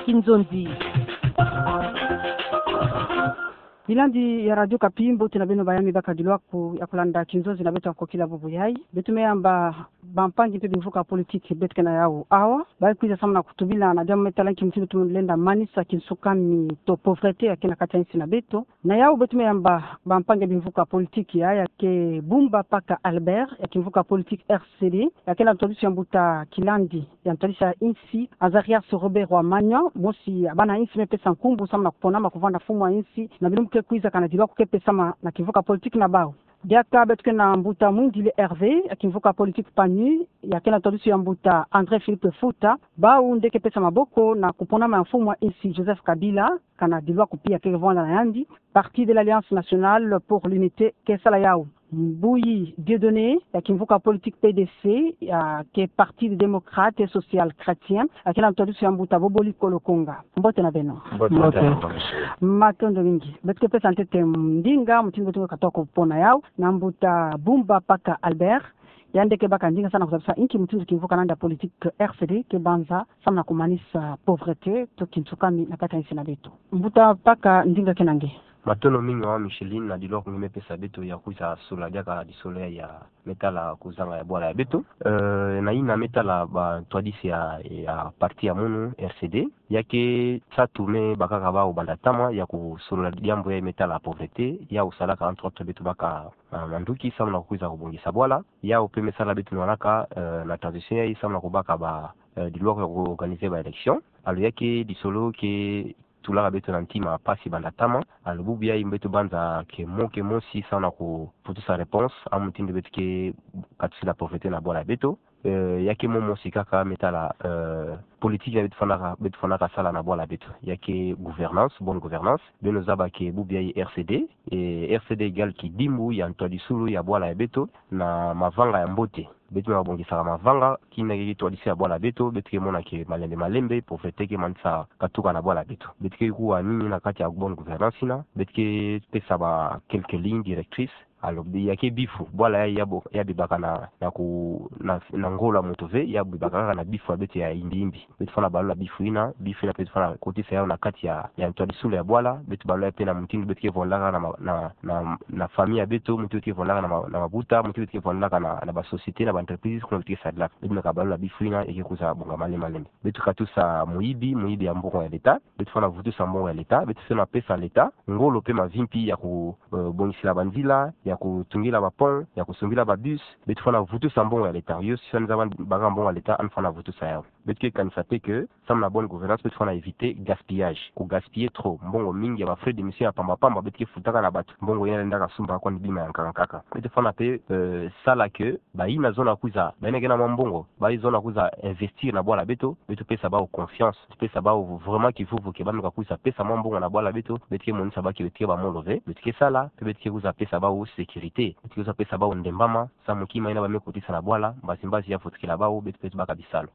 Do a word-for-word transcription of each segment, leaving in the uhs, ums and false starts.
Kinzonzi. Bilandi ya Radio Okapi, mbote na beno bayami bakadilu aku ya kulanda kinzonzi na beto ya kokila bubu yayi. Beto me yamba bampangi mpe bimvuka politiki beto ke na yau awa, ba kwiza samu na kutubila na diambu me tala nki mutindu tumu lenda manisa kinsukami to pauvreté ya ke na kati ya insi na beto. Na yau beto me yamba bampangi bimvuka politiki ya, ya ke Bumba Paka Albert, ya kimvuka politiki R C D, ya ke na ntwadisi ya mbuta Kilandi ya ntwadisi ya insi, Azarias Robert Rwamanya, mosi ya bana insi me pesa nkumbu samu na kuponama kuvanda mfumu wa insi na bilumbu ke kwiza, kana dilu aku ke pesama na kimvuka politiki na bau. Diaka beto ke na mbuta Mwindile Hervé, ya kimvuka politiki PANU, ya ke na ntwadisi ya mbuta André Philippe Futa, bau nde ke pesa maboko na kuponama ya mfumu wa insi Joseph Kabila, kana dilu aku pia ke vwanda na yandi, Parti de l'Alliance Nationale pour l'Unité ke sala yau. Mbuyi Dieudonné, ya kimvuka politiki P D C, ya ke Parti des Démocrates et Social Chrétiens, ya ke na ntwadisi ya mbuta Boboli Kolokonga. Mbote na beno. Mbote. Matondo mingi. Beto ke pesa ntete ndinga mutindu beto ke katuka kupona yau na mbuta Bumba Paka Albert, yandi ke baka ndinga samu na kuzabisa inki mutindu kimvuka nandi ya politiki R C D ke banza samu na kumanisa pauvreté to kinsukami na kati ya insi na beto. Mbuta Paka, ndinga ke na nge. Matondo mingi mama Micheline na dilu aku nge me pesa beto ya kwiza solola diaka disolo ya me tala kuzanga ya bwala ya beto. Eh, na yina me tala bantwadisi ya, ya parti ya munu R C D, ya ke nsatu me bakaka bau banda ntama ya kusolola diambu ya me tala pauvreté, yau salaka entre autres beto baka, ah, manduki samu na kwiza kubongisa bwala, yau mpe me sala beto nwanaka, eh, na transition yayi samu na kubaka ba, eh, dilu aku ya ku organiser ba élection. Alors ya ke disolo ke tulaka beto na ntima mpasi banda ntama. Alors bubu yayi beto banza ke mo ke mosi samu na kuvutusa réponse ya mutindu beto ke katusila pauvreté na bwala ya beto. Eh, ya ke mo mosi kaka me tala, eh, politique ya beto fwanaka, beto fwanaka sala na bwala ya beto, ya ke gouvernance, bonne gouvernance. Beno zaba ke bubu yayi R C D, eh, R C D égale kidimbu ya ntwadisulu ya bwala ya beto na mavanga ya mbote. Beto me babongisaka mavanga, kina ke twadisi ya bwala ya beto, beto ke mona ke malembe malembe, pauvreté ke manisa katuka na bwala ya beto. Beto ke kuwa nini na kati ya bonne gouvernance yina, beto ke pesa ba quelques lignes directrices. Alors, ya ke bifu, bwala ya, ya bo-, ya bebaka na, na ku-, na, na ngolo ya moto ve, ya bebaka kaka na bifu ya beto ya yimbi yimbi. Beto fwana balula bifu yina, bifu yina beto fwana kotisa yau na kati ya, ya ntwadisulu ya bwala, beto balula mpe na mutindu beto ke vwandaka na ma-, na, na, na famille ya beto, mutindu beto ke vwandaka na ma-, na mabuta, mutindu beto ke vwandaka na, na ba société, na ba entreprise, kuna beto ke sadilaka. Beto me kabalula bifu yina, ya ke kwiza bonga malembe malembe. Beto katusa muyibi, muyibi ya mbongo ya l'État, beto fwana vutusa mbongo ya l'État, beto fwana pesa l'État ngolo mpe mavimpi ya ku, eh, bongisila banzila, ya kutungila ba pont, ya kusumbila ba bus, beto fwana vutusa mbongo ya l'État. Yo si fwana zaba baka mbongo ya l'État, yandi fwana vutusa yau. Beto ke kanisa mpe ke, samu na bonne gouvernance, beto fwana éviter gaspillage. Ku gaspiller trop, mbongo mingi ya ba frais de mission ya pamba pamba, beto ke futaka na bato. Mbongo yina lendaka sumba kwani bima ya nkaka nkaka. Beto fwana mpe, eh, sala ke, bayina zona kwiza, bayina ke na mwa mbongo, bayi zona kwiza investir na bwala ya beto, beto pesa bau confiance, beto pesa bau vraiment kivuvu ke bameka kwiza pesa mwa mbongo na bwala ya beto, beto ke monisa bau ke beto ke ba molo ve, beto ke sala, mpe beto ke kwiza pesa bau sécurité, beto ke kwiza pesa bau ndembama, samu kima yina bameka kotisa na bwala, mbazi mbazi ya vutukila bau, beto, beto baka bisalu.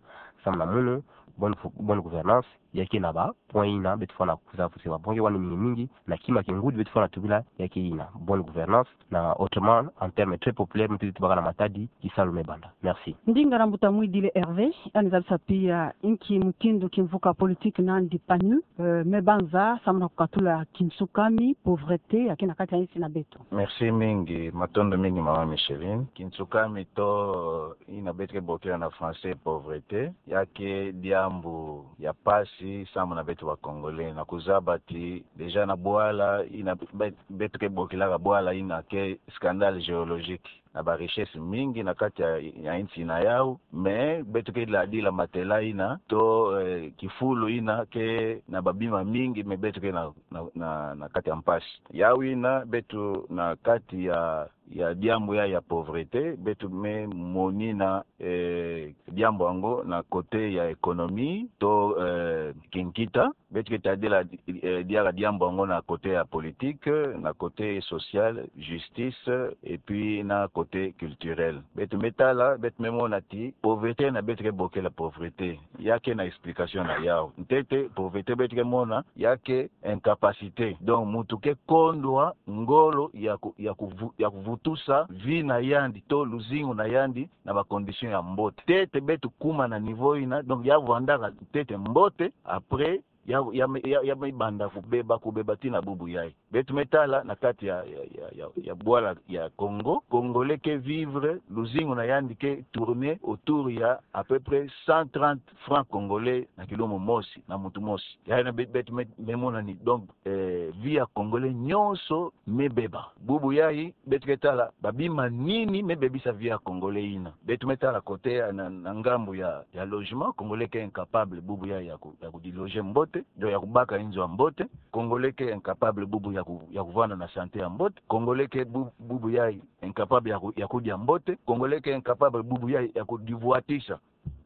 Samu na munu, bonne, bonne gouvernance, ya ke na ba point yina beto fwana kwiza vutisa ba point ke wani mingi mingi, na kima ke ngudi beto fwana tubila ya ke yina bonne gouvernance, na autrement, en terme très populaire, mutindu beto baka na matadi, kisalu me banda. Merci. Ndinga na mbuta Mwidile Hervé, yandi zabisa pia inki mutindu kimvuka politique nandi PANU, eh, me banza samu na kukatula kinsukami, pauvreté, ya ke na kati ya insi na beto. Merci mingi, matondo mingi mama Micheline. Kinsukami to yina beto ke bokila na français pauvreté, ya ke diambu ya mpasi samu na beto ba Congolais. Na kuzaba ti déjà na bwala yina be-, beto ke bokilaka bwala yina ke scandale géologique. Na ba richesse mingi na kati ya, ya insi na yau, mais beto ke ladila matela yina, to, eh, kifulu yina ke na ba bima mingi, mais beto ke na, na, na, na kati ya mpasi. Yau yina beto na kati ya ya diambu ya, ya pauvreté, beto me monina, eh, diambu yango na côté ya économie, to, eh, kinkita, beto ke tadila, eh, diaka diambu yango na côté ya politique, na côté social, justice, et puis na côté culturel. Beto me tala, beto me mona ti, pauvreté yina beto ke bokila pauvreté, ya ke na explication na yau. Ntete, pauvreté beto ke mona, ya ke incapacité. Donc, mutu ke kondwa ngolo ya ku-, ya kuvu-, ya kuvutusa vie na yandi, to luzingu na yandi, na ba condition ya mbote. Ntete beto kuma na niveau yina, donc ya vwandaka ntete mbote, après, ya, ya, ya, ya me banda kubeba, kubeba tii na bubu yai. Beto me tala na kati ya, ya, ya, ya, ya bwala ya Congo, Congolais ke vivre, luzingu na yandi ke tourner autour ya à peu près cent trente francs congolais na kilumbu mosi, na muntu mosi. Yayi na be-, beto me, me mona ni. Donc, eh, vie ya Congolais nyonso me beba. Bubu yai, beto ke tala, ba bima nini me bebisa vie ya Congolais yina. Beto me tala côté ya na, na ngambu ya, ya logement, Congolais ke incapable bubu yai ya ku-, ya kudéloger mbote, donc ya kubaka inzo ya mbote. Congolais ke incapable bubu ya ku-, ya kuvanda na santé ya mbote. Congolais ke bu-, bubu yai incapable ya ku-, ya kudia mbote. Congolais ke incapable bubu yai ya kudivwatisa.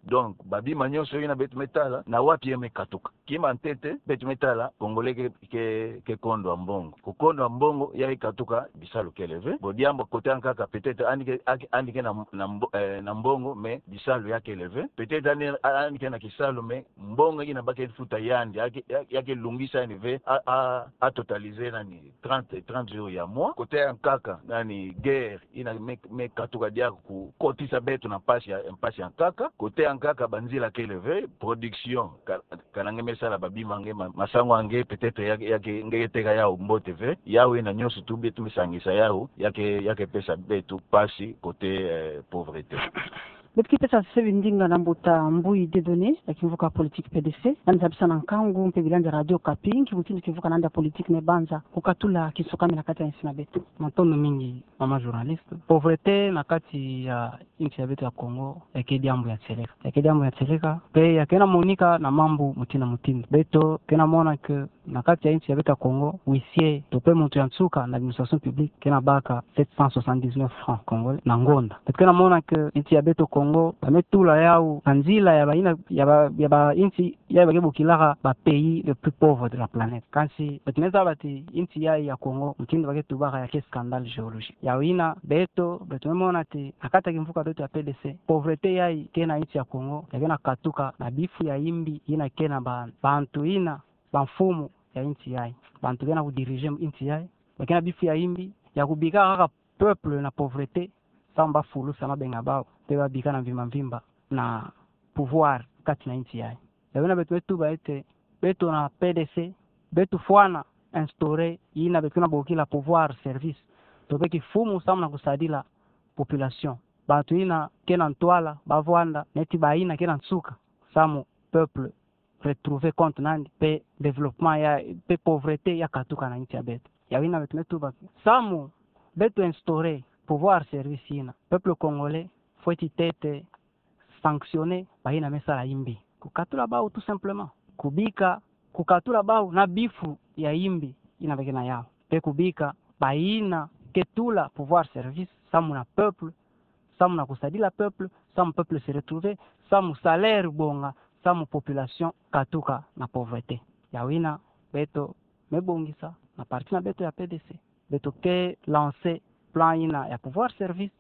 Donc, ba bima nyonso yina beto me tala, na wapi ya me katuka? Kima ntete, beto me tala, Congolais ke, ke, ke kondwa mbongo. Kukondwa mbongo, yai katuka, bisalu kele ve. Bon, diambu côté ya nkaka, peut-être, yandi ke, yandi ke na, na mbo-, eh, na mbongo, mais bisalu ya kele ve. Peut-être, yandi, yandi ke na kisalu, mais mbongo yina ba ke futa yandi, ya ke, ya, ya ke lungisa yandi ve, a, a, a totaliser nani, trente, trente jours ya mois. Côté ya nkaka, nani, guerre, yina me, me katuka diaka kukotisa beto na mpasi ya, mpasi ya nkaka. Côté ya nkaka, banzila kele ve, production, ka-, kana nge me sala ba bima nge, ma-, masangu ya nge, peut-être ya, ya ke, nge ke teka yau mbote ve. Yau yina nyonso tu beto me sangisa yau, ya ke, ya ke pesa beto mpasi côté, eh, pauvreté. Beto ke pesa sebi ndinga na mbuta Mbuyi Dieudonné, ya kimvuka politique P D C, yandi zabisa na nkangu mpe bilangi ya Radio Okapi, nki mutindu kimvuka na yandi ya politique me banza kukatula kinsukami na kati ya insi na beto. Matondo mingi, mama journaliste. Pauvreté na kati ya insi ya beto ya Congo, ya ke diambu ya nsereka. Ya ke diambu ya nsereka, mpe ya ke na monika na mambu mutindu na mutindu. Beto ke na mona que na kati ya insi ya beto ya Congo, huissier, to mpe muntu ya nsuka na administration publique, ke na baka sept cent soixante-dix-neuf francs congolais na ngonda. Beto ke na mona que insi ya beto Congo, ba me tula yau na nzila ya ba yina, ya ba, ya ba insi, ya ba ke bokilaka ba pays les plus pauvres de la planète. Kansi, beto me zaba ti insi yai ya Congo, mutindu ba ke tubaka, ya ke scandale géologique. Yau yina, beto, beto me mona ti, na kati ya kimvuka beto ya P D C, pauvreté yai ke na insi ya Congo, ya ke na katuka na bifu ya yimbi, yina ke na ba, bantu yina, bamfumu ya insi yai. Bantu ke na kudiriger insi yai, ba ke na bifu ya yimbi, ya kubika kaka peuple na pauvreté, samu ba fulusa mabenga ya bau, mpe ba bika na mvimba mvimba na pouvoir kati na insi yai. Yau yina beto me tuba ti, beto na P D C, beto fwana instaurer yina beto ke na bokila pouvoir service, to mpe kifumu samu na kusadila population. Bantu yina ke na ntwala, ba vwanda, neti ba yina ke na nsuka, samu peuple retrouver compte na yandi, mpe développement ya, mpe pauvreté ya katuka na insi ya beto. Yau yina beto me tuba, samu beto instaurer pouvoir service yina, peuple congolais fweti tete sanctionner ba yina me sala yimbi. Kukatula bau tout simplement. Kubika, kukatula bau na bifu ya yimbi yina ba ke na yau. Mpe kubika ba yina ke tula pouvoir service samu na peuple, samu na kusadila peuple, samu peuple se retrouver, samu salaire bonga, samu population katuka na pauvreté. Yau yina beto me bongisa na parti na beto ya P D C. Beto ke lancer plan yina ya pouvoir service,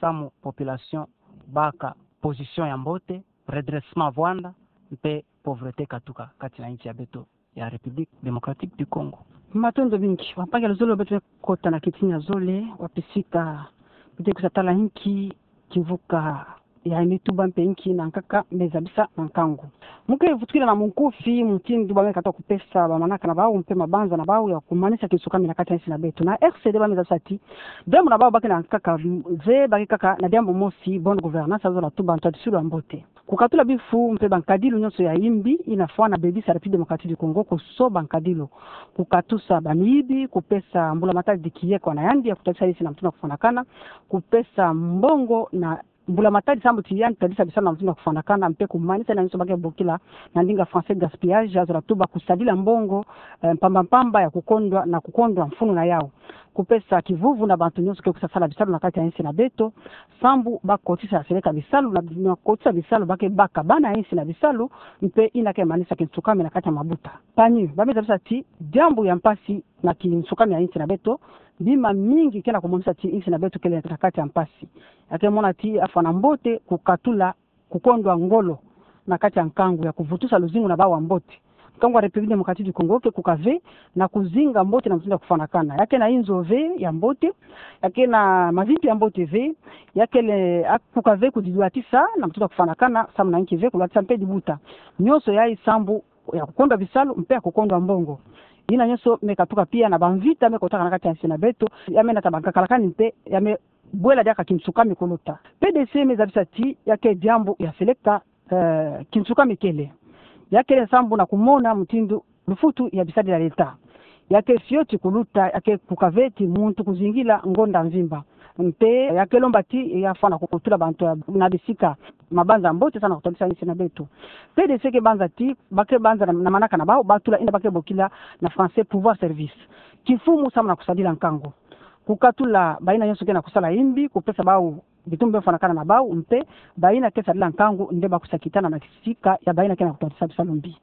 samu population baka position ya mbote, redressement vwanda, mpe pauvreté katuka kati na insi ya beto ya République Démocratique du Congo. Matondo mingi. Wampangi ya luzolo, beto me kota na kitin ya zole, wapi sika beto ke kwiza tala inki kimvuka ya me tuba mpe inki na nkaka me zabisa na nkangu. Mu ke vutukila na munkufi mutindu ba me katuka kupesa ba manaka na bau mpe mabanza na bau ya kumanisa kinsukami na kati ya insi na beto. Na R C D ba me zabisa ti, diambu na bau ba ke na nkaka ve, ba ke kaka na diambu mosi, bonne gouvernance, ya zola tuba ntwadisilu ya mbote. Kukatula bifu mpe bankadilu nyonso ya yimbi yina fwana bebisa République Démocratique du Congo, kusoba nkadilu, kukatusa bamiyibi, kupesa mbulamatadi kieko na yandi ya kutadisa insi na mutindu ya kufwanakana, kupesa mbongo na mbulamatadi sambu ti yandi tadisa bisalu na mutindu ya kufwanakana, mpe kumanisa yina nyonso ba ke bokila na ndinga français gaspillage, ya zola tuba kusadila mbongo, eh, mpamba mpamba ya kukondwa na kukondwa mfunu na yau. Kupesa kivuvu na bantu nyonso ke kwiza sala bisalu na kati ya insi na beto, sambu ba kotisa seleka bisalu na, na kotisa bisalu ba ke baka bana insi na bisalu, mpe yina ke manisa kinsukami na kati ya mabuta. Panier, ba me zabisa ti diambu ya mpasi na kinsukami ya insi na beto, bima mingi ke na kumonisa ti insi na beto kele na kati ya mpasi. Ya ke mona ti afwana mbote kukatula kukondwa ngolo na kati ya nkangu ya kuvutusa luzingu na bau wa mbote. Nkangu wa République Démocratique du Congo ke kuka ve na kuzinga mbote na mutindu ya kufwanakana. Ya ke na inzo ve ya mbote, ya ke na mavimpi ya mbote ve, ya kele, a, kuka ve kudidwatisa na mutindu ya kufwanakana, samu na inki ve kulwatisa mpe dibuta. Nyonso yai sambu ya kukondwa bisalu mpe ya kukondwa mbongo. Yina nyonso me katuka pia na bamvita me kotaka na kati ya nsi na beto, ya me nata bankakalakani mpe ya me bwela diaka kinsukami kuluta. P D C me zabisa ti ya ke diambu ya seleka, eh, kinsukami kele. Ya kele sambu na kumona mutindu lufutu ya bisadila leta. Ya ke fioti kuluta, ya ke kukaveti muntu kuzingila ngonda mvimba. Mpe ya ke lomba ti ya fwana kukutula bantu ya, na bisika mabanza mbote sa na kutadisa nsi na beto. P D C ke banza ti, ba ke banza na, na manaka na bau, batula yina ba ke bokila na français pouvoir service. Kimfumu samu na kusadila nkangu. Kukatula bayina nyonso ke na kusala yimbi, kupesa bau bitumbu bia fwanakana na bau, mpe bayina ke sadila nkangu nde ba kusa kitana na kisika ya bayina ke na kutadisa bisalu mbi.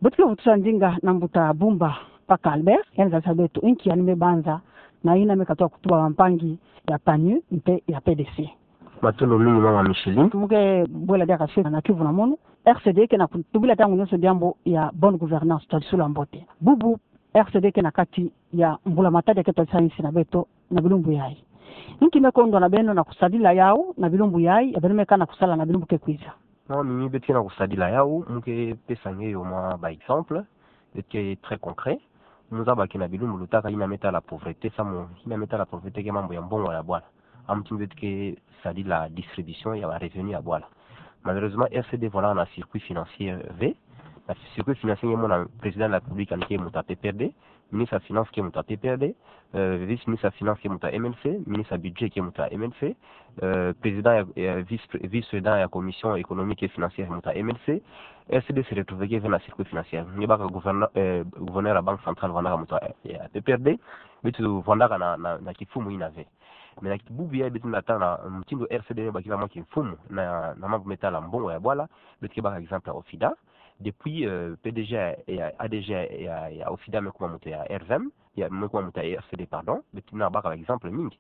Beto ke vutusa ndinga na mbuta Bumba Paka Albert, yandi zabisa beto inki yandi me banza na yina me katuka kutuba bampangi ya PANU mpe ya P D C. Matondo mingi mama Micheline. Mu ke bwela diaka se na kivu na mono. R C D ke na kutubila ntangu nyonso diambu ya bonne gouvernance, twadisula mbote. Bubu, R C D ke na kati ya mbula matadi ya ke twadisa nsi na beto na bilumbu yayi. Inki me kondwa na beno na kusadila yau na bilumbu yayi, ya beno me ka na kusala na bilumbu ke kwiza? Non, mimi beto ke na kusadila yau, mu ke pesa nge yo mwa ba exemple, beto ke très concret. Mu zaba ke na bilumbu lutaka yina me tala pauvreté, samu yina me tala pauvreté ke mambu ya mbongo ya bwala. Amu ti beto ke sadila distribution ya ba revenu ya bwala. Malheureusement, R C D vwandaka na circuit financier ve. Na circuit financier nge mona président de la République yandi ke muntu ya P P R D, ministre ya finance ke muntu ya P P R D, euh, vice-ministre ya finance ke muntu ya M L C, ministre ya budget ke muntu ya M L C, euh, président ya, ya vice, vice-président ya commission économique et financière muntu ya M L C. R C D se retrouver ke ve na circuit financier. Nge baka gouverneur, euh, gouverneur ya banque centrale vwandaka muntu ya, ya P P R D, beto vwandaka na, na, na kimfumu yina ve. Mais na bubu yayi beto na tala mutindu R C D me bakila mwa kimfumu na, na mambu me tala mbongo ya bwala, beto ke baka exemple ya OFIDA. Depuis, euh, P D G ya, ya, A D G ya, ya, ya OFIDA me kuma muntu ya R V M, ya me kuma muntu ya R C D, pardon, beto na baka ba exemple mingi.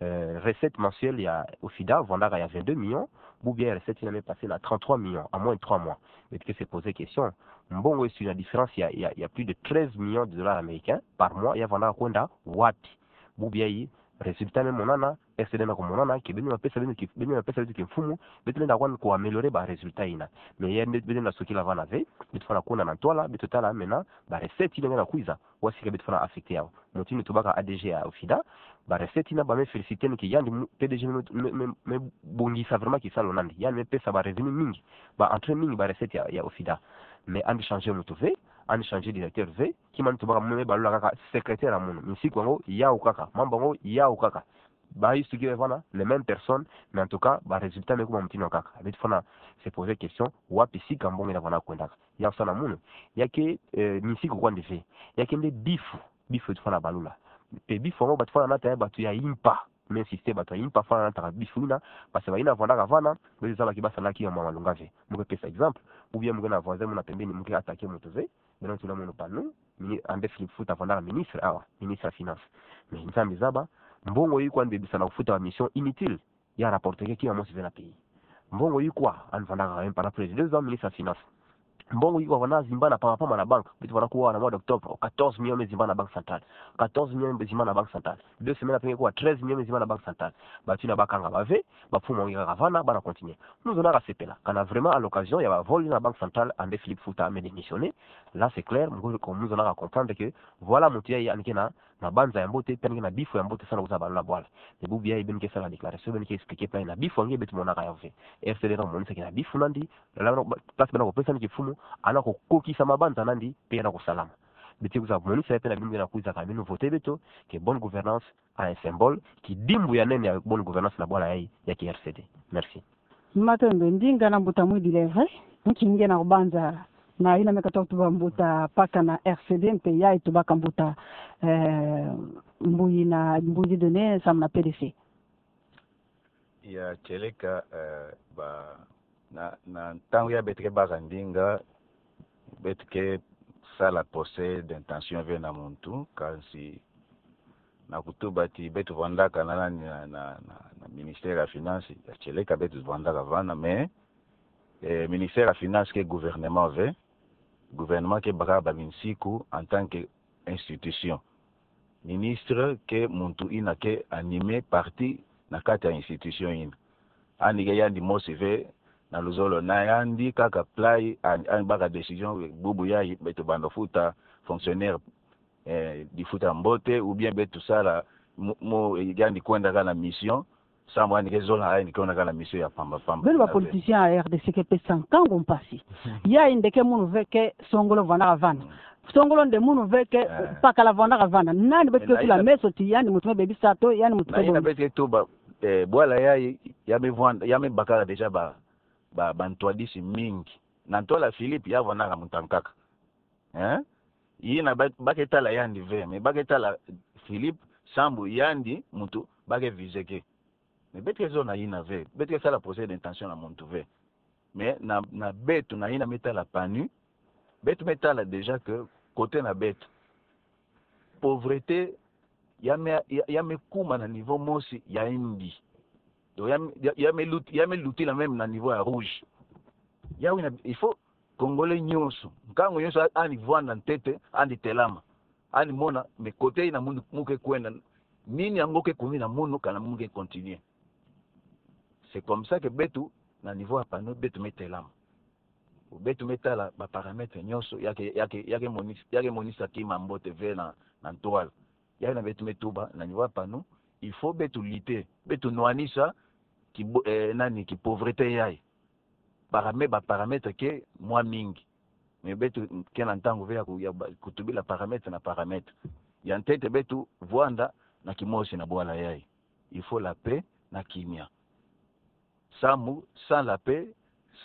Euh, recette mensuelle ya OFIDA vwandaka ya vingt-deux millions, bubu yayi recette yina me passer na trente-trois millions en moins de trois mois. Beto ke se poser question. Mbongo yesu na différence ya, ya, ya plus de treize millions de dollars américains par mois, ya vwandaka kwenda wapi? Bubu yayi résultat me monana, R C D na kumonana ke beno me pesa, beno ke, beno me pesa beto kimfumu, beto lenda kwani ku améliorer ba résultat yina. Mais ya nde beto lenda sukila vana ve, beto fwana kwenda na ntwala, beto tala mena ba recette yina nge na kwiza, wasi ka beto fwana affecter yau. Mutindu tubaka A D G ya OFIDA, ba recette yina ba me féliciter ni ke yandi mu, P D G me, me, me, me bongisa vraiment kisalu na yandi. Yandi me pesa ba revenu mingi, ba entrée mingi ba recette ya, ya OFIDA. Mais yandi changer mutu ve, yandi changer directeur ve, ki mani tubaka mu me balula kaka secrétaire ya munu. Minsiku yango yau kaka, mambu yango yau kaka. Ba yusu ke vana, les mêmes personnes, mais en tout cas, ba résultat me kuma mutindu kaka. Beto fwana se poser question, wapi sika mbongo yina vwandaka kwendaka? Yau sa na munu, ya ke, euh, minsiku kwandi ve. Ya ke nde bifu, bifu beto fwana balula. Mpe bifu yango beto fwana nata ya batu ya impa. Me insister batu ya impa fwana nata bifu yina, parce que bayina vwandaka vana, beto zaba ke ba salaki ya mwa malunga ve. Mu ke pesa exemple, ou bien mu ke na voisin muna pembeni, mu ke attaquer mutu ve, beno tula munu PANU, mini-, André Philippe Futa vwandaka ministre awa, ministre ya finance. Mais Nzambi zaba, mbongo yikwa yandi bebisa na kufuta ba mission inutile, ya rapporter ke kima mosi ve na pays. Mbongo yikwa, yandi vwandaka même pendant plus de deux ans ministre ya finance. Mbongo yikwa vwanda zimbana pamba pamba na banque, beto vwanda kuwa na mois d'octobre, quatorze millions me zimbana na banque centrale. Quatorze millions me zimbana na banque centrale. Deux semaines après, kuwa treize millions me zimbana na banque centrale. Batu yina bakanga ba ve, bamfumu ya nge kaka vana, bana continuer. Mu zonaka sepela, kana vraiment à l'occasion ya ba vol na banque centrale, André Philippe Futa me démissionner. Là, c'est clair, mu ko-, mu zonaka comprendre que, voilà, mutu yayi yandi ke na mabanza ya mbote, mpe yandi ke na bifu ya mbote sa na kwiza balula bwala. Mais bubu yayi beno ke sala déclaration, beno ke expliquer plan na bifu ya nge beto monaka yau ve. R C D na kumonisa ke na bifu na yandi, la, la, place bana kupesa ni kimfumu, yandi kukokisa mabanza na yandi, mpe yandi kusalama. Beto kwiza monisa ya mpe na bimbi na kwiza ka beno voter beto, ke bonne gouvernance, a un symbole, kidimbu ya nene ya bonne gouvernance na bwala yayi, ya ki R C D. Merci. Matondo, ndinga na mbuta Mwidi Leve, nki nge na kubanza na yina me katuka kutuba mbuta Paka na R C D, mpe yayi tubaka mbuta, eh, Mbuyi na Mbuyi Dieudonné, samu na P D C. Ya, tieleka, eh, ba, na, na ntangu ya beto ke baka ndinga, beto ke sala procès d'intention ve na muntu, kansi na kutuba ti beto vwandaka na nani na, na, na, na ministère ya finance, ya tieleka beto vwandaka vana, mais, eh, ministère ya finance ke gouvernement ve, gouvernement ke baka ba minsiku en tant que institution. Ministre ke muntu yina ke animer parti na kati ya institution yina. Yandi ke yandi mosi ve, na luzolo na yandi kaka plat, yandi, yandi baka décision, bubu yayi beto banda futa fonctionnaire, eh, difuta mbote, ou bien beto sala mo, mo, eh, yandi kwenda kaka na mission, sambu yandi ke zola, yandi kwenda kaka na mission ya pamba pamba. Beno ba politicien ya R D C ke pesa nkangu mpasi. Yayi nde ke munu ve ke songolo vwandaka vanda. Mm. Songolo nde munu ve ke, eh, pakala vwandaka vanda. Nani beto ke tula meso ti yandi muntu me bebisa to, yandi muntu me bebisa. Na yina beto ke tuba, eh, bwala yayi, ya me vwanda, ya me bakala déjà ba, ba, bantwadisi mingi. Na ntwala Philippe, ya vwandaka muntu ankaka. Eh? Yina ba, ba ke tala yandi ve, mais ba ke tala Philippe, sambu yandi muntu ba ke viser ke. Mais beto ke zola na yina ve, beto ke sala procès d'intention na muntu ve. Mais na, na beto, na yina me tala PANU, beto me tala déjà que côté na beto, pauvreté ya me, ya, ya me kuma na niveau mosi ya mbi. Donc ya, ya, ya me lut-, ya me lutila même na niveau ya rouge. Yawu yina, il faut Congolais nyonso, nkangu nyonso, a-, yandi vwanda ntete, yandi telama, yandi mona, mais côté yina munu, mu ke kwenda, nini yango ke kumi na munu, kana mu ke continuer. C'est comme ça que beto, na niveau ya PANU, beto me telama. Beto me tala ba paramètres nyonso, ya ke, ya ke, ya ke monis-, ya ke monisa kima mbote ve na, na ntwala. Yayi yina beto me tuba, na niveau ya PANU, il faut beto lutter, beto nwanisa ki bo-, eh, nani, ki pauvreté yayi. Paramè-, ba paramètres ke mwa mingi. Mais beto ke na ntangu ve ya ku-, ya ba-, kutubila paramètre na paramètre. Ya ntete beto vwanda na kimosi na bwala yayi. Il faut la paix na kimia. Sambu, sans la paix,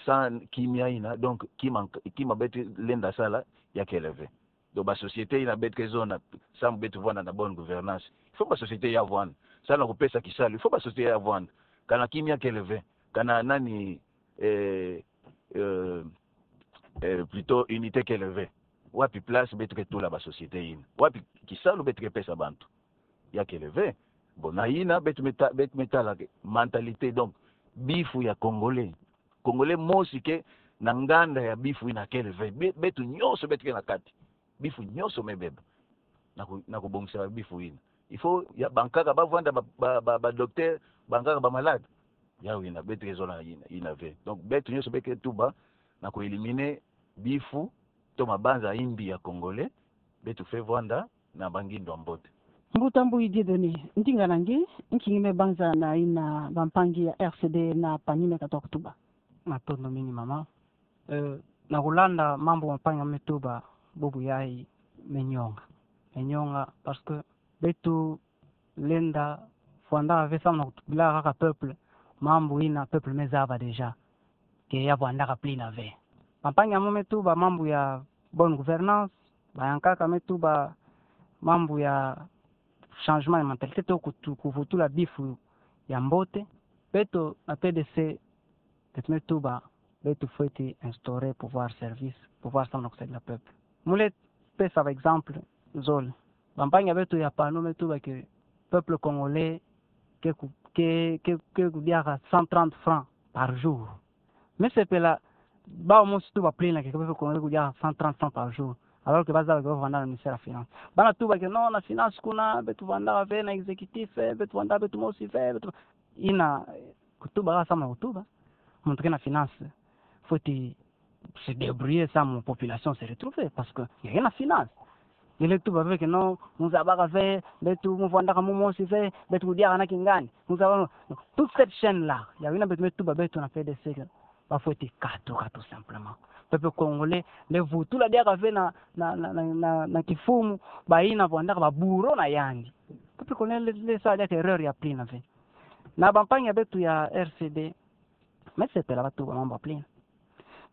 sans kimia yina, donc, kima, kima beto lenda sala, ya kele ve. Donc, ba société yina beto ke zona, sambu beto vwanda na bonne gouvernance. Il faut ba société ya vwanda. Sambu na kupesa kisalu, il faut ba société ya vwanda. Kana kimia kele ve, kana nani, eh, eh, eh, plutôt unité kele ve. Wapi place beto ke tula ba société yina? Wapi kisalu beto ke pesa bantu? Ya kele ve. Bon, na yina beto me ta-, beto me tala ke mentalité, donc, bifu ya Congolais. Congolais mosi ke na nganda ya bifu yina kele ve. Be-, beto nyonso beto ke na kati. Bifu nyonso me beba. Na ku-, na kubongisa bifu yina. Il faut ya bankaka ba vwanda ba, ba, ba, ba docteur, bankaka ba malade. Yawu yina, beto ke zola yina, yina ve. Donc, beto nyonso beto ke tuba, na ku éliminer bifu, to mabanza ya mbi ya Congolais, beto fweti vwanda na ba ngindu ya mbote. Mbuta Mbuyi Dieudonné, ndinga na nge, nki nge me banza na yina bampangi ya R C D na PANU me katuka kutuba? Matondo mingi mama. Eh, na kulanda mambu bampangi me tuba, bubu yayi me nyonga. Me nyonga, parce que beto lenda vwanda ve samu na kutubila kaka peuple, mambu yina peuple me zaba déjà ke ya vwandaka plus na ve. Bampangi mo me tuba mambu ya bonne gouvernance, bayankaka me tuba mambu ya changement ya mentalité to kutu-, kuvutula bifu ya mbote. Beto na P D C, beto me tuba, beto fweti instaurer pouvoir service, pouvoir samu na kusaidia peuple. Mu lenda pesa ba exemple zole. Bampangi ya beto ya PANU me tuba que peuple congolais ke ku-, ke, ke, ke kudiaka cent trente francs par jour. Me sepela, bawu mosi tuba plein que peuple congolais kudiaka cent trente francs par jour. Alors que ba zaba que ba vwanda na ministère ya finance. Bana tuba que non, na finance kuna, beto vwandaka ve na exécutif, eh, beto vwanda beto mosi ve, beto, yina, eh, kutuba kaka samu na kutuba. Muntu ke na finance fweti se débrouiller samu population se retrouver, parce que ya ke na finance. Nge lenda tuba ve que non, mu zabaka ve, beto mu vwandaka mu mosi ve, beto kudiaka na kingandi. Mu zaba, toute cette chaîne-là, yawu yina beto me tuba beto na P D C que ba fweti katuka tout simplement. Peuple congolais, lenda vutula diaka ve na, na, na, na, na, na kifumu, bayina vwandaka ba bourreau na yandi. Peuple congolais lenda, lenda sala diaka erreur ya plein na ve. Na bampangi ya beto ya R C D, me sepela ba tuba mambu ya plein.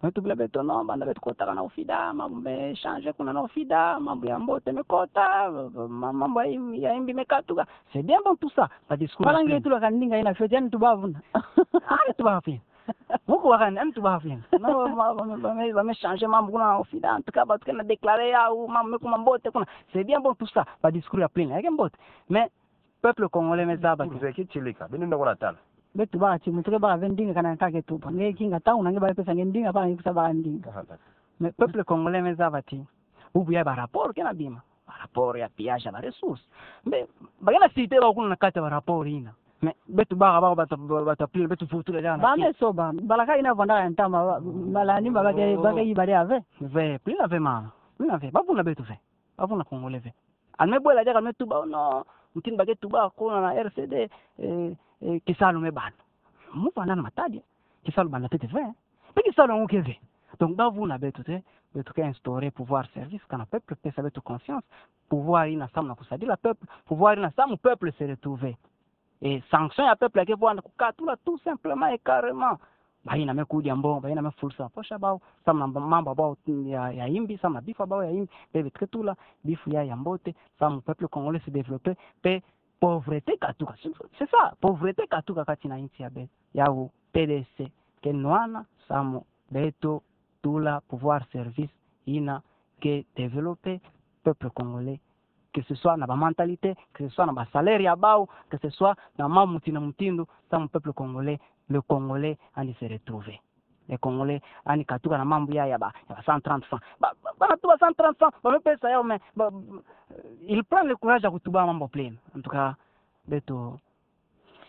Me tubila beto non, banda beto kotaka na OFIDA, mambu me changer kuna na OFIDA, mambu ya mbote me kota, ma-, mambu ya mbi, ya mbi me katuka. C'est bien bon tout ça, ba discours ya plein. Bala nge tula ka ndinga yina fweti, yandi tuba vuna. Ah, yandi tuba plein. Muku wakani, yandi tuba plein. Non, ba, ba, ba, ba me, ba me changer mambu kuna na OFIDA, en tout cas, bato ke na déclarer yawu, mambu me kuma mbote kuna. C'est bien bon tout ça, ba discours ya plein, ya ke mbote. Mais peuple congolais me zaba ti. Mzee Kichilika, beno nda kora tala. Beto tubaka ti, muntu ke baka ve ndinga kana ka ke tuba. Nge kinga tau na nge ba pesa nge ndinga, baka nge kusa baka ndinga. Aha, aha. Mais peuple congolais me zaba ti, bubu ya ba rapport ke na bima. Ba rapport ya pillage ya ba ressources. Mais ba ke na citer bawu kuna na kati ya ba rapport yina. Mais beto baka, baka, bato, bato pli, beto futu le jana. Ba me so ba, bala ka ina vwanda ya ntama, ba, bala ni ba, ba ke, ba ke iba de ave. Ve, pli na ve mama. Pli na ve, ba vuna beto ve. Ba vuna Congolais ve. Ani me bwela diaka ani me tuba, oh non, mutindu ba ke tuba ko na, na R C D, eh, eh, kisalu me bana. Mu vanda na matadi, kisalu bana tete ve. Pe kisalu angu ke ve. Donc, ba vuna beto te, beto ke instaurer pouvoir service, kana peuple pesa beto confiance, pouvoir ina samu na kusadila peuple, pouvoir ina samu peuple se retrouver. E sanction ya peuple ya ke vwanda kukatula tout simplement et carrément. Ba ina me kudia mbongo, ba ina me fulusa poche ya bau, samu na mambu ya bau ya, ya imbi, samu na bifu ya bau ya imbi, bebe tuketula bifu ya, ya mbote, samu peuple congolais se développer, pe pauvreté katuka. C'est, c'est ça, pauvreté katuka kati na insi ya beto. Yawu P D C ke nwana samu beto tula pouvoir service ina ke développer peuple congolais, que ce soit na ba mentalité, que ce soit na ba salaire ya bau, que ce soit na mambu mutindu na mutindu, samu peuple congolais, le Congolais ani se retrouver. Le Congolais ani katuka na mambu ya, ya ba, ya ba cent trente francs. Ba, ba, bana tuba cent trente francs, ba me pesa yawu, mais, ba, il prend le courage ya kutuba mambu plein. En tout cas, beto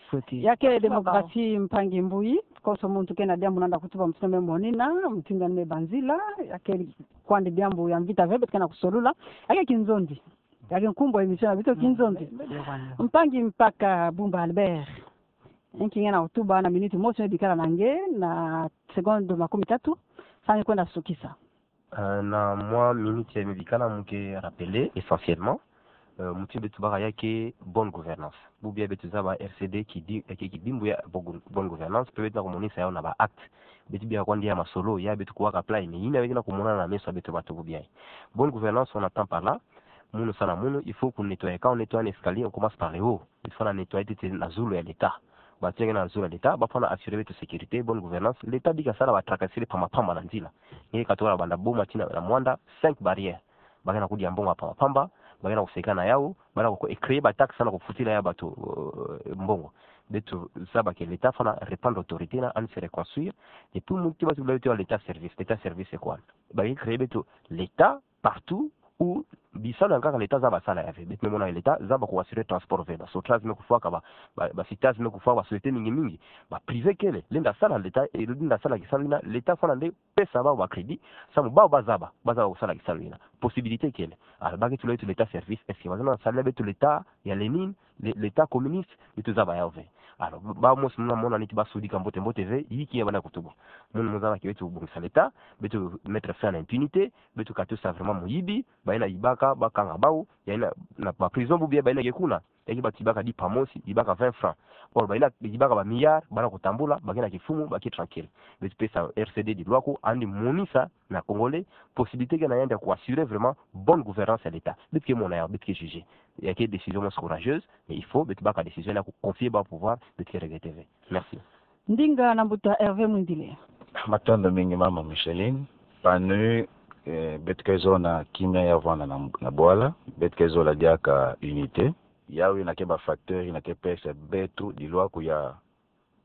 fweti. Ya ke démocratie, mpangi Mbuyi, konso muntu ke na diambu nanda kutuba, mutindu me monina, mutindu me banzila, ya ke kwandi diambu ya mvita ve beto ke na kusolula, ya ke kinzonzi. Ya ke nkumbu ya émission ya beto, kinzonzi. Mpangi Mpaka Bumba Albert. Nki nge na kutuba na minute mosi me bikala na nge, na seconde makumi tatu, sa nge kwenda sukisa. Euh, na mwa minute ya me bikala, mu ke rappeler essentiellement, euh, mutindu beto baka ya ke bonne gouvernance. Bubu ya beto zaba R C D kidi-, ya ke kidimbu ya bo-, bonne gouvernance, pe beto na kumonisa yawu na ba actes. Beto bia kwandi ya masolo, ya beto kuwa ka apply, mais ina beto na kumona na meso ya beto bato bubu ya. Bonne gouvernance, on entend par là, munu sa na munu, il faut qu'on nettoie. Quand on nettoie un escalier, on commence par le haut. Il faut na nettoyer tete na zulu ya l'État. Bato ya ke na zulu ya l'État, ba fwana assurer beto sécurité, bonne gouvernance. L'État bika sala ba tracasseries pamba pamba na nzila. Nge katuka banda Boma tii na Muanda, cinq barrières. Ba ke na kudia mbongo pamba pamba, ba ke na kuseka na yawu, ba na ku-, e créer ba taxes na kufutila ya bato, euh, mbongo. Beto zaba ke l'État fwana reprendre autorité na, ani se reconstruire. Et puis, mutindu beto bula beto ya l'État service. L'État service c'est quoi? Ba ke créer beto l'État partout où bisalu ya nkaka l'État zaba sala ya ve. Beto me mona l'État zaba ku assurer transport ve. Ba Sotrac me kufwaka, ba, ba, ba Citas me kufwaka, ba sociétés mingi mingi. Ba privé kele, lenda sala l'État, e lenda sala kisalu ina, l'État fwana nde pesa bau ba crédit, samu bau ba zaba, ba zaba kusala kisalu ina. Possibilité kele. Alors, ba ke tula beto l'État service, est-ce que ba zaba na sala beto l'État ya Lénine, le-, l'État communiste, beto zaba yawu ve. Alors, bau mosi muna mona neti ba sudika mbote mbote ve, yiki ya ba na kutuba. Munu mu zaba ke beto bongisa l'État, beto mettre fin à l'impunité, beto katusa vraiment muyibi, ba ina yibaka, ba kanga bau, ya ina na ba prison bubu ya ba ina ke kuna, ya ke ba tibaka dipa mosi, yibaka vingt francs. Or, ba ina yibaka ba milliards, ba na kutambula, ba ke na kifumu, ba ke tranquille. Beto pesa R C D dilwaku, ani monisa na Congolais possibilité ke na yandi ya ku assurer vraiment bonne gouvernance ya l'État. Beto ke mona yawu, beto ke juger. Ya ke décision mosi courageuse, mais il faut beto baka décision ya ku confier bau pouvoir, beto ke regretter ve. Merci. Ndinga na mbuta Hervé Mwindile. Matondo mingi mama Micheline. PANU, eh, beto ke zola kimia ya vwanda na, na bwala, beto ke zola diaka unité. Yawu ina ke ba facteur ina ke pesa beto dilwaku ya,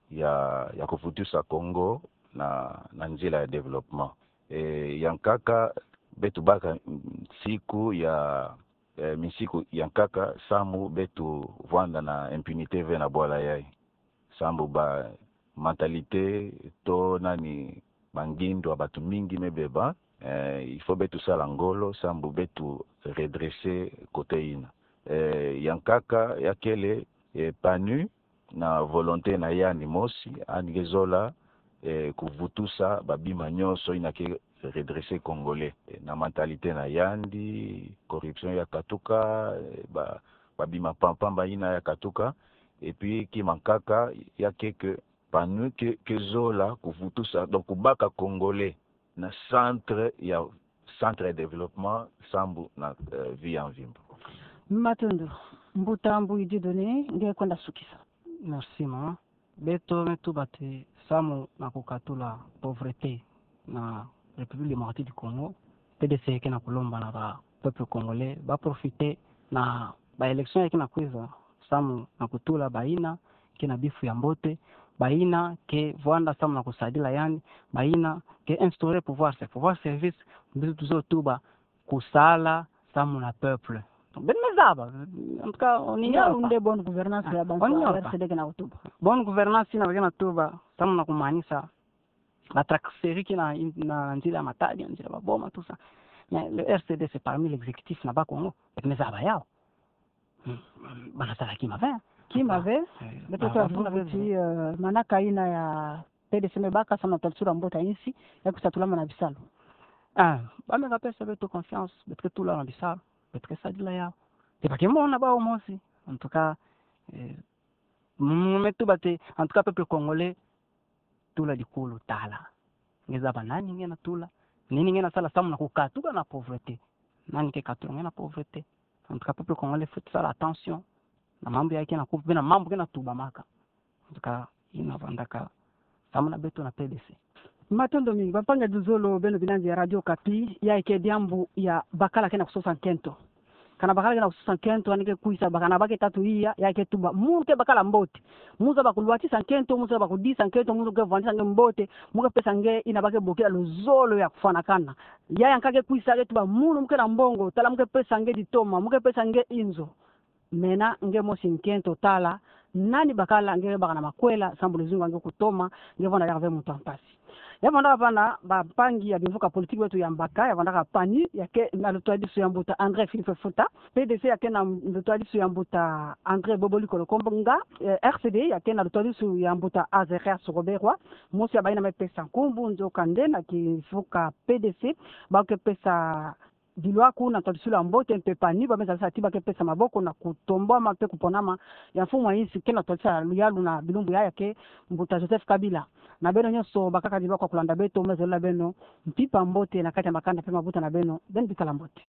ya, ya kuvutisa Congo na, na nzila ya développement. Eh, ya nkaka beto baka nsiku ya, eh, minsiku ya nkaka samu beto vwanda na impunité ve na bwala yayi. Samu ba mentalité to nani, ba ngindu ya bato mingi me beba, eh, il faut beto sala ngolo samu beto redresser côté ina. Eh, ya nkaka ya kele, eh, PANU na volonté na yandi mosi, yandi ke zola, eh, kuvutusa ba bima nyonso ina ke redresser Congolais. Eh, na mentalité na yandi, corruption ya katuka, eh, ba, ba bima pamba pamba ina ya katuka, et puis kima nkaka ya ke que PANU ke, ke zola kuvutusa, donc kubaka Congolais na centre ya, centre ya développement samu na, eh, vie ya mvimba. Matondo, mbuta Mbuyi Dieudonné, nge kwenda sukisa. Merci mama. Beto me tuba ti samu na kukatula pauvreté na République démocratique du Congo, P D C ke na kulomba na ba peuple congolais ba profiter na ba élection ya ke na kwiza samu na kutula ba ina ke na bifu ya mbote, ba ina ke vwanda samu na kusadila yandi, ba ina ke instaurer pouvoir, c'est pouvoir service, beto tuzo tuba kusala samu na peuple. Beno me zaba. En tout cas, oni ya nde bonne gouvernance ya bantu R C D ke na tuba. Bonne gouvernance ina ba ke na tuba, samu na kumanisa ba transfert kina na nzila matadi, nzila ba boma, tout ça. Mais le R C D, c'est parmi l'exécutif na Bas-Congo. Beno me zaba yau. Hmm. Bana sala kima ve. Kima ve. Eh, beto bana sala kima ve. Eh, manaka ina ya P D C me baka samu na twarisulu ya mbote ya insi, ya kusa tula mana bisalu. Ah, ba me ka pesa beto confiance, beto ke tula na bisalu, beto ke sadila yau. Te ba ke mona bau mosi. En tout cas, eh, mu me tuba te, en tout cas, peuple congolais, tula dikulu tala. Nge zaba nani nge na tula. Nini nge na sala samu na kukatuka na pauvreté. Nani ke katuka nge na pauvreté. En tout cas, peuple congolais, faut sala attention na mambu ya ke na kupe, na mambu ke na tubamaka. En tout cas, ina vandaka samu na beto na P D C. Matondo mingi, bampangi ya luzolo, beno binanzi ya Radio Okapi, ya ke diambu ya bakala ke na kusosa nkento. Kana bakala ke na kusosa nkento, ani ke kwisa bakana ba ke tatu iya, ya ke tuba, mu ke bakala mbote. Mu zaba kulwatisa nkento, mu zaba kudisa nkento, mu ke vandisa nge mbote, mu ke pesa nge ina ba ke bokila luzolo ya kufwanakana. Ya ya nka ke kwisa ke tuba, mu, mu ke na mbongo, tala mu ke pesa nge ditoma, mu ke pesa nge inzo. Mena nge mosi nkento tala, nani bakala nge baka na makwela, samu luzingu nge kutoma, nge vanda ya ve muntu wa mpasi. Ya vandaka vana, bampangi ya bimvuka politiki beto ya mbaka, ya vandaka PANU, ya ke na lutwadisu ya mbuta André Philippe Futa, P D C ya ke na lutwadisu ya mbuta André Boboli Kolokombonga, eh, R C D ya ke na lutwadisu ya mbuta Azerias Roberwa, mosi ya bayi na me pesa nkumbu, nzoka nde na kimvuka P D C, ba ke pesa dilwaku na twarisulu ya mbote mpe PANU, ba me zaba ti ba ke pesa maboko na kutombwama mpe kuponama ya mfumu wa insi ke na twadisa luyalu na bilumbu ya ya ke mbuta Joseph Kabila. Na beno nyonso bakaka dilwaku ya kulanda beto, me zolila beno mpimpa mbote na kati ya makanda mpe mabuta na beno, beno bikala mbote.